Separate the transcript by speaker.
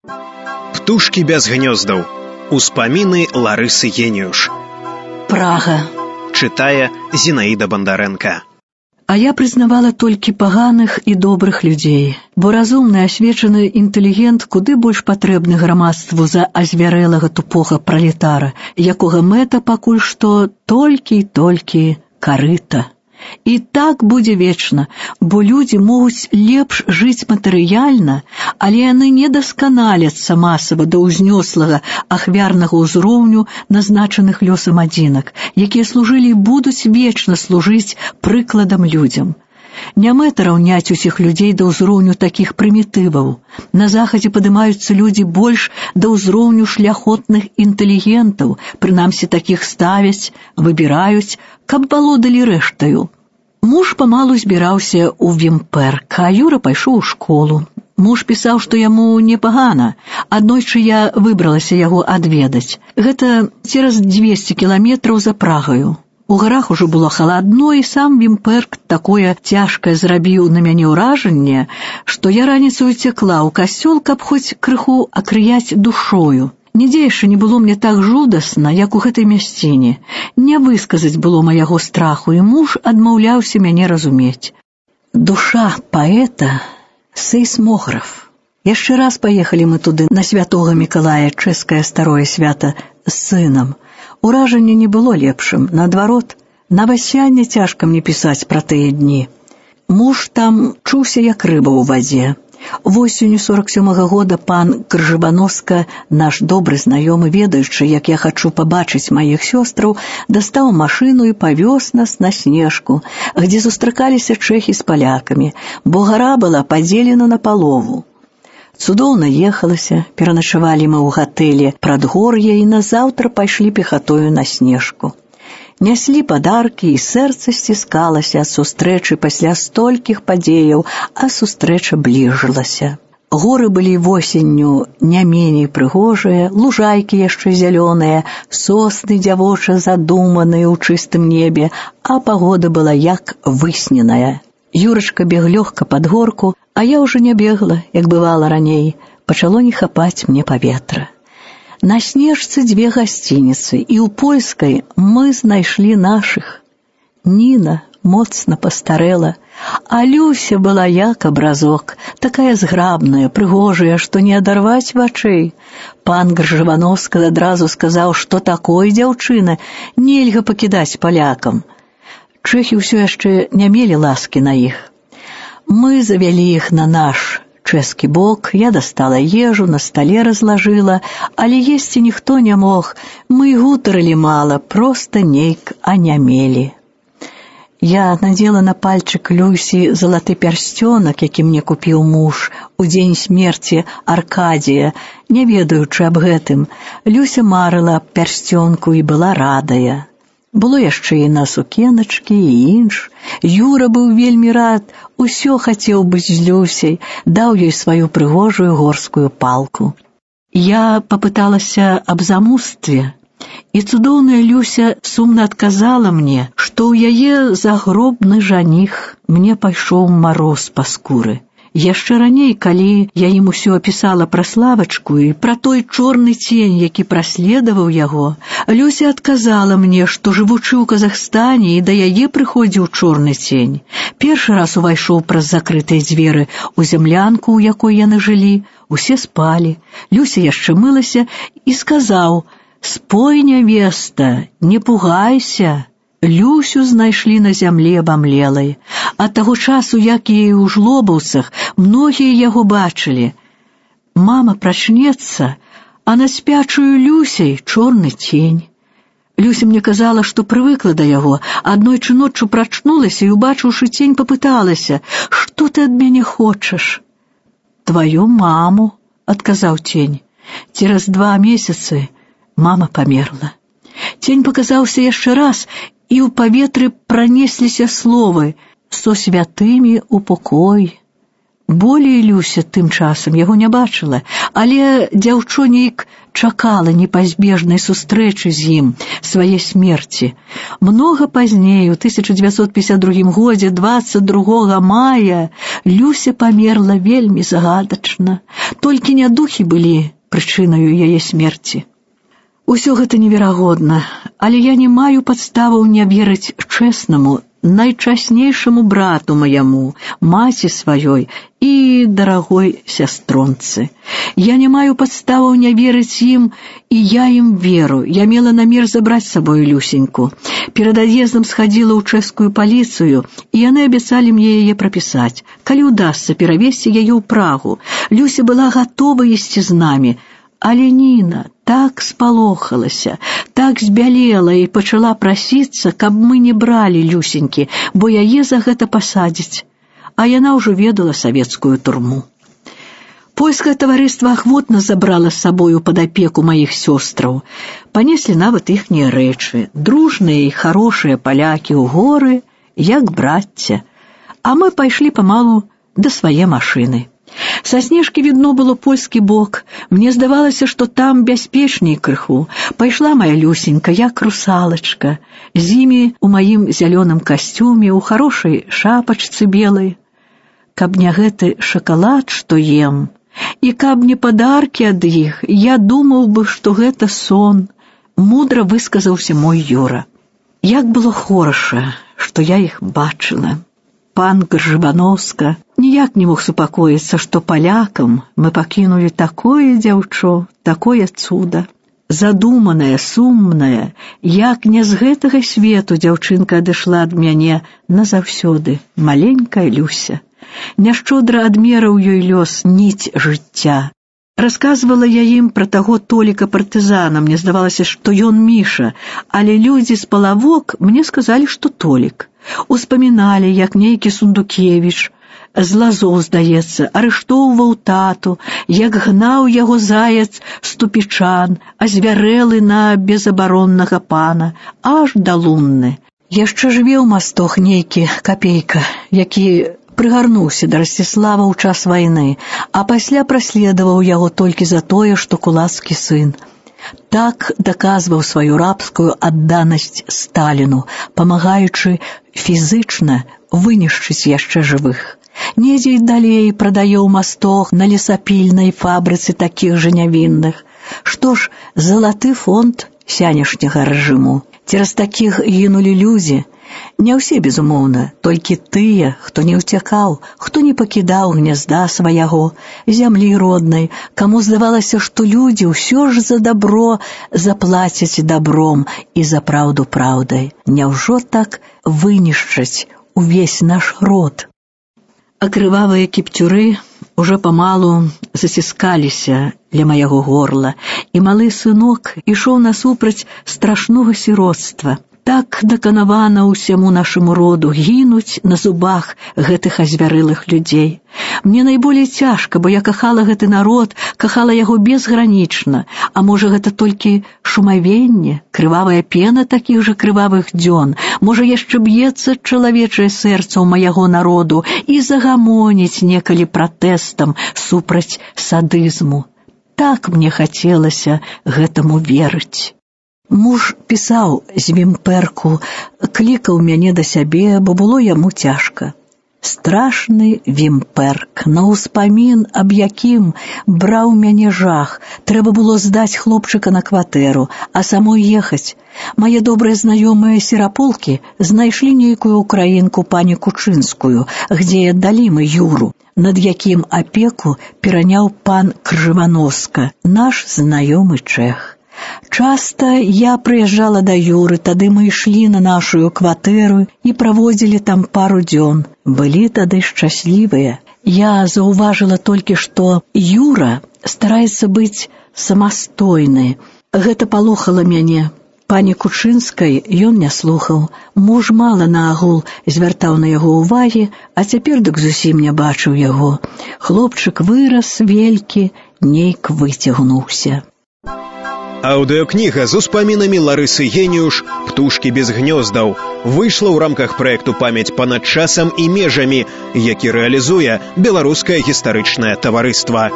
Speaker 1: Птушкі без гнёздаў. Успаміны Ларысы Геніюш.
Speaker 2: Прага.
Speaker 1: Чытае Зінаіда Бандарэнка.
Speaker 2: А я прызнавала толькі паганых і добрых людзей, бо разумны, асвечаны інтэлігент куды больш патрэбны грамадству за азвярэлага тупога пралетара, якога мэта пакуль што толькі і толькі карыта. І так будзе вечна, бо людзі могуць лепш жыць матэрыяльна, але яны не дасканаляцца масава да ўзнёслага ахвярнага ўзроўню назначаных лёсам адзінак, якія служылі і будуць вечна служыць прыкладам людзям. Не мэта раўняць усіх людзей да ўзроўню такіх прымітываў. На захадзе падымаюцца людзі больш да ўзроўню шляхотных інтэлігентаў, прынамсі такіх ставяць, выбіраюць, каб валодалі рэштаю. Муж памалу збіраўся ў Вімпэрк, а Юра пайшоў у школу. Муж пісаў, што яму непагана. Аднойчы я выбралася яго адведаць. Гэта цераз 200 кіламетраў за Прагаю. У гарах ужо было халадно, і сам Вімпэрк такое цяжкае зрабіў на мяне ўражанне, што я раніцаю цякла ў касцёл, каб хоць крыху акрыяць душою. Нідзе яшчэ не было мне так жудасна, як у гэтай мясціне. Не высказаць было маяго страху, і муж адмаўляўся мяне разумець. Душа паэта — сейсмограф. Яшчэ раз паехалі мы туды на святога Мікалая, чэшскае старое свята, з сынам. Уражанне не было лепшым, наадварот, на васянне цяжка мне пісаць пра тыя дні. Муж там чуўся як рыба ў вадзе. Восенню 47-го года пан Кржабаноска, наш добры знаёмы, ведаючы, як я хачу пабачыць маіх сёстраў, дастаў машыну і павёз нас на Снежку, где сустракаліся чэхі з палякамі, бо гара была падзелена на палову. Цудоўна ехалася, пераначавалі мы ў гатэле Прадгор'я і назаўтра пайшлі пехатою на Снежку. Няслі падаркі, і сэрца сціскалася ад сустрэчы пасля столькіх падзеяў, а сустрэча бліжылася. Горы былі восенню не меней прыгожыя, лужайкі яшчэ зялёныя, сосны дзявоча задуманыя ў чыстым небе, а пагода была як высненая. Юрачка бег лёгка пад горку, а я ўжо не бегла, як бывала раней, пачало не хапаць мне паветра. На Снежцы 2 гасцініцы, і ў польскай мы знайшлі нашых. Ніна моцна пастарэла, а Люся была як абразок, такая зграбная, прыгожая, што не адарваць вачэй. Пан Кржабаноска адразу сказаў, што такой дзяўчыны нельга пакідаць палякам. Чэхі ўсё яшчэ не мелі ласкі на іх. Мы завялі іх на наш чэшскі бок, я дастала ежу, на стале разлажыла, але есці ніхто не мог, мы гутарылі мала, проста нейк анямелі. Я надзела на пальчык Люсі залаты пярсцёнак, які мне купіў муж у дзень смерці Аркадія, не ведаючы аб гэтым. Люся марыла аб пярсцёнку і была радая. Было яшчэ і на сукеначкі, і інш. Юра быў вельмі рад, усё хацеў быць з Люсяй, даў ёй сваю прыгожую горскую палку. Я папыталася аб замустве, і цудоўная Люся сумна адказала мне, што ў яе загробны жаніх мне пайшоў мароз па скуры. Яшчэ раней, калі я ім усё апісала пра Славачку і пра той чорны цень, які праследаваў яго, Люся адказала мне, што жывучы ў Казахстане і да яе прыходзіў чорны цень. Першы раз увайшоў праз закрытыя дзверы ў зямлянку, у якой яны жылі, усе спалі. Люся яшчэ мылася і сказаў: «Спой, нявеста, не пугайся». Люсю знайшлі на зямле абамлелай. Ад таго часу, як і ў Жлобаўцах, многія яго бачылі. Мама прачнецца, а на спячую Люсяй чорны цень. Люся мне казала, што прывыкла да яго. Аднойчы ноччу прачнулася і, убачыўшы цень, папыталася: «Што ты ад мяне хочаш?» «Тваю маму», — адказаў цень. Цераз 2 месяцы мама памерла. Цень паказаўся яшчэ раз, і ў паветры пранесліся словы: «Со святымі упокой». Болей Люся тым часам яго не бачыла, але дзяўчо нейк чакала непазбежнай сустрэчы з ім, свае смерці. Многа пазней, у 1952 годзе, 22 мая, Люся памерла вельмі загадачна. Толькі нядухі былі прычынаю яе смерці. Усё гэта неверагодна, але я не маю падставаў не верыць чэснаму, найчаснейшаму брату маяму, маці сваёй і дарагой сястронцы. Я не маю падставаў не верыць ім, і я ім веру. Я мела намер забраць з сабою Люсеньку. Перад ад'ездам схадзіла ў чэшскую паліцыю, і яны абяцалі мне яе прапісаць. Калі ўдасца перавесці яе ў Прагу. Люся была гатова ісці з намі. Але Ніна так спалохалася, так збялела і пачала прасіцца, каб мы не бралі Люсенькі, бо яе за гэта пасадзяць. А яна ўжо ведала савецкую турму. Польскае таварыства ахвотна забрала з сабою пад апеку маіх сёстраў. Панеслі нават іхнія рэчы, дружныя і харошыя палякі ў горы, як брацця. А мы пайшлі памалу да свае машыны. Са снежкі відно было польскі бок. Мне здавалася, што там бяспечней крыху. Пайшла моя Люсенька, як русалачка, з імі у маім зялёным касцюме, у харошай шапачцы белай. Каб не гэты шакалад, што ем, і каб не падаркі ад іх, я думаў бы, што гэта сон, мудра высказаўся мой Юра. Як было хораша, што я іх бачыла. Пан Гржыбановска ніяк не мог супакоіцца, што палякам мы пакінулі такое дзяўчо, такое цуда. Задуманая, сумная, як не з гэтага свету дзяўчынка адышла ад мяне назаўсёды, маленькая Люся. Няшчодра адмераў ёй лёс ніць жыцця. Расказвала я ім пра таго Толіка партызана, мне здавалася, што ён Міша, але людзі з Палавок мне сказалі, што Толік. Успаміналі, як нейкі Сундукевіч, з Лазоў, здаецца, арыштоўваў тату, як гнаў яго заяц Ступічан, азвярэлы на безабароннага пана, аж да Лунны. Яшчэ жыве ў Мастох нейкі Капейка, які прыгарнуўся да Расціслава ў час вайны, а пасля праследаваў яго толькі за тое, што кулацкі сын. Так даказваў сваю рабскую адданасць Сталіну, памагаючы фізычна вынішчыць яшчэ жывых. Недзе і далей прадае ў Мастох на лесапільнай фабрыцы такіх жа нявінных. Што ж, залаты фонд сянешняга рэжыму. Цераз такіх гінулі людзі. Не ўсе, безумоўна, толькі тыя, хто не ўцякаў, хто не пакідаў гнязда свайго, зямлі роднай, каму здавалася, што людзі ўсё ж за дабро заплацяць дабром і за праўду праўдай. Няўжо так вынішчаць увесь наш род? А крывавыя кіпцюры уже памалу заціскаліся ля маяго горла, і малы сынок ішоў насупраць страшнога сіроцтва. Так даканавана ўсяму нашаму роду гінуць на зубах гэтых азвярылых людзей. Мне найболей цяжка, бо я кахала гэты народ, кахала яго безгранічна, а можа гэта толькі шумавенне, крывавая пена такіх жа крывавых дзён, можа яшчэ б'ецца чалавечае сэрца ў майго народу і загамоніць некалі пратэстам супраць садызму. Так мне хацелася гэтаму верыць. Муж пісаў з Вімперку, клікаў мяне да сябе, бо было яму цяжка. Страшны Вімперк, на ўспамін, аб якім браў мяне жах. Трэба было здаць хлопчыка на кватэру, а самой ехаць. Мае добрыя знаёмыя серапулкі знайшлі нейкую украінку пані Кучынскую, дзе аддалі мы Юру, над якім апеку пераняў пан Кржывановска, наш знаёмы чэх. Часта я прыязджала да Юры, тады мы ішлі на нашу кватэру і праводзілі там пару дзён. Былі тады шчаслівыя. Я заўважыла толькі, што Юра стараецца быць самастойны. Гэта палохала мяне. Пані Кучынскай ён не слухаў. Муж мала на агул звяртаў на яго ўвагі, а цяпер дык зусім не бачыў яго. Хлопчык вырас велькі, нейк выцягнуўся.
Speaker 1: Аўдыёкніга з успамінамі Ларысы Геніюш «Птушкі без гнёздаў» выйшла ў рамках праекту «Памяць панад часам і межамі», які рэалізуе Беларускае гістарычнае таварыства.